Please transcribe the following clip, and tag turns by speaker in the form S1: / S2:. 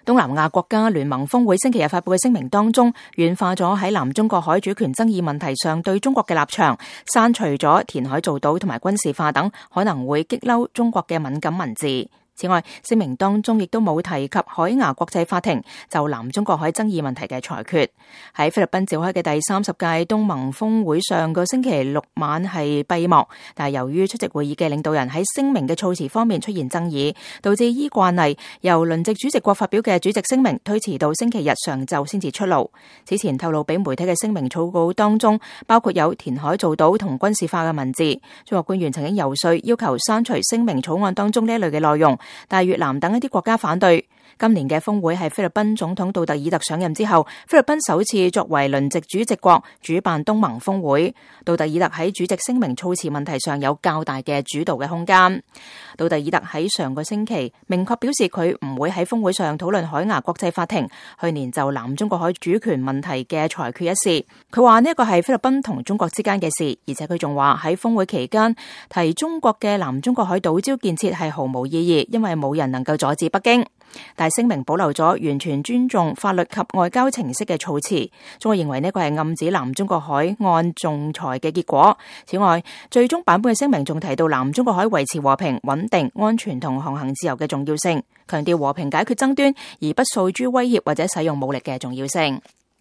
S1: 東南亞國家聯盟峰會星期日發布嘅聲明當中，軟化咗喺南中國海主權爭議問題上對中國嘅立場，刪除咗填海造島同埋軍事化等可能會激嬲中國嘅敏感文字。此外，聲明當中亦都冇提及海牙國際法庭就南中國海爭議問題嘅裁決。喺菲律賓召開嘅第30屆東盟峰會上個星期六晚係閉幕，但係由於出席會議嘅領導人喺聲明嘅措辭方面出現爭議，導致依慣例由輪值主席國發表嘅主席聲明推遲到星期日上晝先至出爐。此前透露俾媒體嘅聲明草稿當中，包括有填海造島同軍事化嘅文字。中國官員曾經游說要求刪除聲明草案當中呢一類嘅內容，但係越南等一啲國家反對。今年嘅峰會係菲律賓總統杜特爾特上任之後，菲律賓首次作為輪值主席國主辦東盟峰會。杜特爾特喺主席聲明措辭問題上有較大嘅主導嘅空間。杜特爾特喺上個星期明確表示佢唔會喺峰會上討論海牙國際法庭去年就南中國海主權問題嘅裁決一事。佢話呢一個係菲律賓同中國之間嘅事，而且佢仲話喺峰會期間提中國嘅南中國海島礁建設係毫無意義，因為冇人能夠阻止北京。但係聲明保留咗完全尊重法律及外交程式嘅措辭，中國認為呢個係暗指南中國海岸仲裁嘅結果。此外，最終版本嘅聲明仲提到南中國海維持和平、穩定、安全同航行自由嘅重要性，強調和平解決爭端而不訴諸威脅或者使用武力嘅重要性。